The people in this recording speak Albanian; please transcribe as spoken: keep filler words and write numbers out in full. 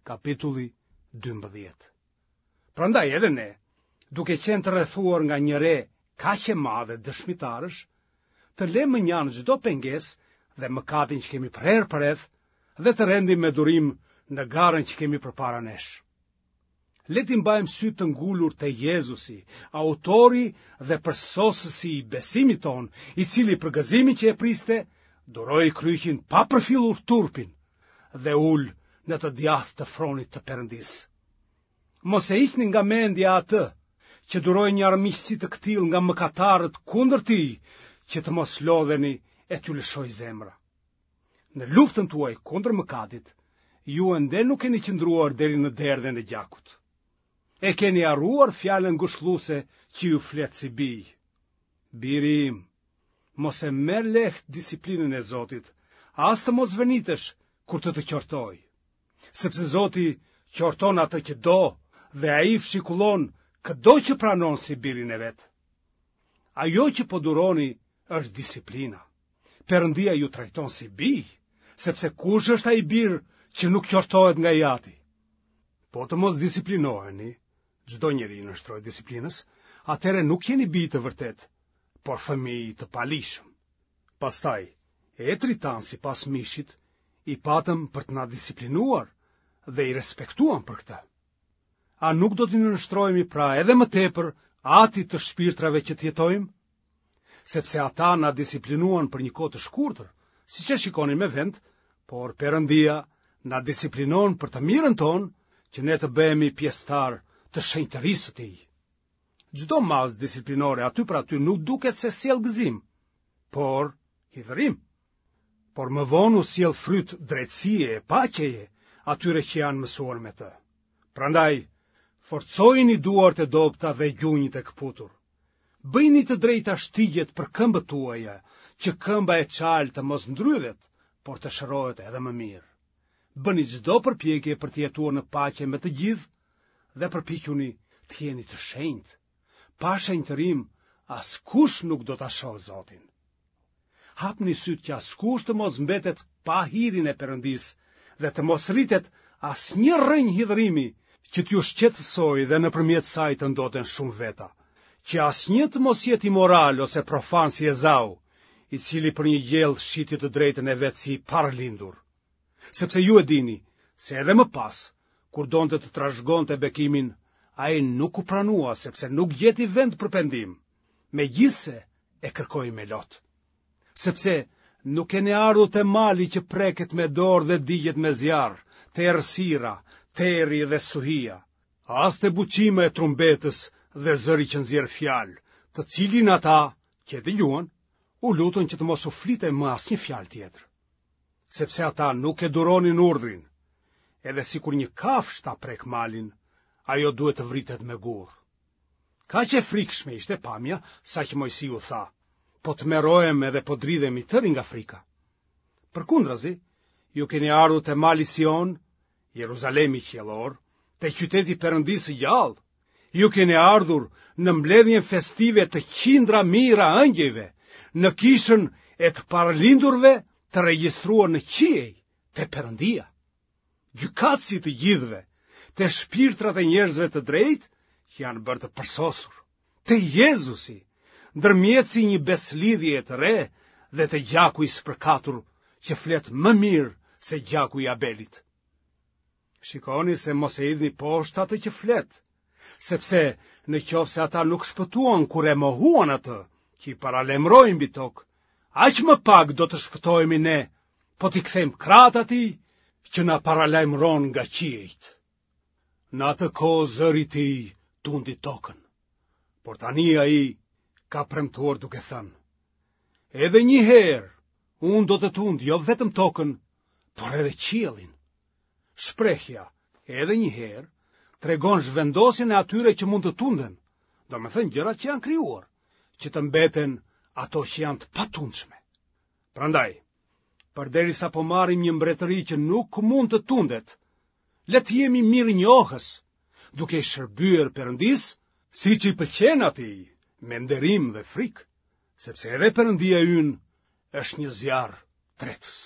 kapitulli dymbëdhjetë. Prandaj edhe ne, duke qenë të rrethuar nga një re kaq e madhe dëshmitarësh, të lëmë mënjanë çdo pengesë dhe mëkatin që kemi prerë përreth dhe të rendim me durim në garën që kemi përpara nesh. Le t'i mbajmë sytë të ngulur te Jezusi, autori dhe përsosësi i besimit tonë, i cili për gëzimin që e priste, duroi kryqin pa përfillur turpin dhe u ul në të djathtë të fronit të Perëndisë. Mos e hiqni nga mendja atë që duroi një armiqësi të këtillë nga mëkatarët kundër tij, që të mos lodheni e t'ju lëshojë zemra. Në luftën tuaj kundër mëkatit, ju ende nuk keni qëndruar deri në derdhjen e gjakut. E keni harruar fjalën ngushëlluese që ju flet si bij. Biri im, mos e merr lehtë disiplinën e Zotit, as të mos vërnitesh kur të të qortojë. Sepse Zoti qorton atë që do dhe ai fshikullon këdo që pranon si birin e vet. Ajo që po duroni është disiplina. Perëndia ju trajton si bij, sepse kush është ai bir që nuk qortohet nga i ati? Po të mos disiplinoheni, çdo njeri i nënshtrohet disiplinës, atëherë nuk jeni bij të vërtetë, por fëmijë të paligjshëm. Pastaj, etërit tanë sipas mishit, i patëm për të na disiplinuar dhe i respektuam për këtë. A nuk do t'i nënshtrohemi pra edhe më tepër atit të shpirtrave që të jetojmë? Sepse ata na disiplinuan për një kohë të shkurtër, siç e shikonin me vend, por Perëndia na disiplinon për të mirën tonë, që ne të bëhemi pjesëtar të shenjtërisë së tij. Çdo masë disiplinore aty për aty nuk duket se sjell gëzim, por hidhërim. Por më vonë u sjell fryt drejtësie e paqeje atyre që janë mësuar me të. Prandaj, forcojini duart e dobëta dhe gjunjët e këputur. Bëjini të drejta shtigjet për këmbët tuaja, që këmba e çalë të mos ndrydhet, por të shërohet edhe më mirë. Bëni çdo përpjekje për të jetuar në paqe me të gjithë dhe përpiquni të jeni të shenjtë. Pa shenjtërim, askush nuk do ta shohë Zotin. Hapni sytë që askush të mos mbetet pa hirin e Perëndisë dhe të mos rritet asnjë rrënjë hidhërimi që t'ju shqetësojë dhe nëpërmjet saj të ndoten shumë veta, që asnjë të mos jetë imoral ose profan si Ezau, i cili për një gjellë shiti të drejtën e vet si i parlindur. Sepse ju e dini se edhe më pas, kur donte të trashëgonte bekimin, ai nuk u pranua sepse nuk gjeti vend për pendim, megjithëse e kërkoi me lot. Sepse nuk keni ardhur te mali që preket me dorë dhe digjet me zjarr, te errësira, terri dhe stuhia, as te buçima e trumbetës dhe zëri që nxjerr fjalë, të cilin ata që e dëgjuan, u lutën që të mos u flitej më asnjë fjalë tjetër. Sepse ata nuk e duronin urdhrin, edhe sikur një kafshë ta prek malin, ajo duhet të vritet me gur. Kaq e frikshme ishte pamja, saqë Moisiu tha, po tmerrohem edhe po dridhem i tëri nga frika. Përkundrazi, ju keni ardhur te mali Sion, Jeruzalemi qiellor, te qyteti i Perëndisë së gjallë. Ju keni ardhur në mbledhjen festive të qindra mijëra ëngjëjve, në kishën e të paralindurve të regjistruar në qiej, te Perëndia. Gjykatësi i të gjithëve, te shpirtrat e njerëzve të drejtë që janë bërë të përsosur, te Jezusi, ndërmjetësi i një besëlidhjeje të re dhe te gjaku i spërkatur që flet më mirë se gjaku i Abelit. Shikoni se mos e hidhni poshtë atë që flet, sepse në qoftë se ata nuk shpëtuan kur e mohuan atë që i paralajmëroi mbi tokë, aq më pak do të shpëtohemi ne, po t'i kthejmë krahët atij që na paralajmëron nga qiejt. Në atë kohë zëri i tij tundi tokën, por tani ai ka premtuar duke thënë, edhe një herë unë do të tund jo vetëm tokën, por edhe qiellin. Shprehja edhe një herë tregon zhvendosjen e atyre që mund të tunden, domethënë gjërat që janë krijuar, që të mbeten ato që janë të patundshme. Prandaj, përderisa po marrim një mbretëri që nuk mund të tundet, le të jemi mirënjohës, duke i shërbyer Perëndisë, siç i pëlqen atij, me nderim dhe frikë, sepse edhe Perëndia ynë është një zjarr tretës.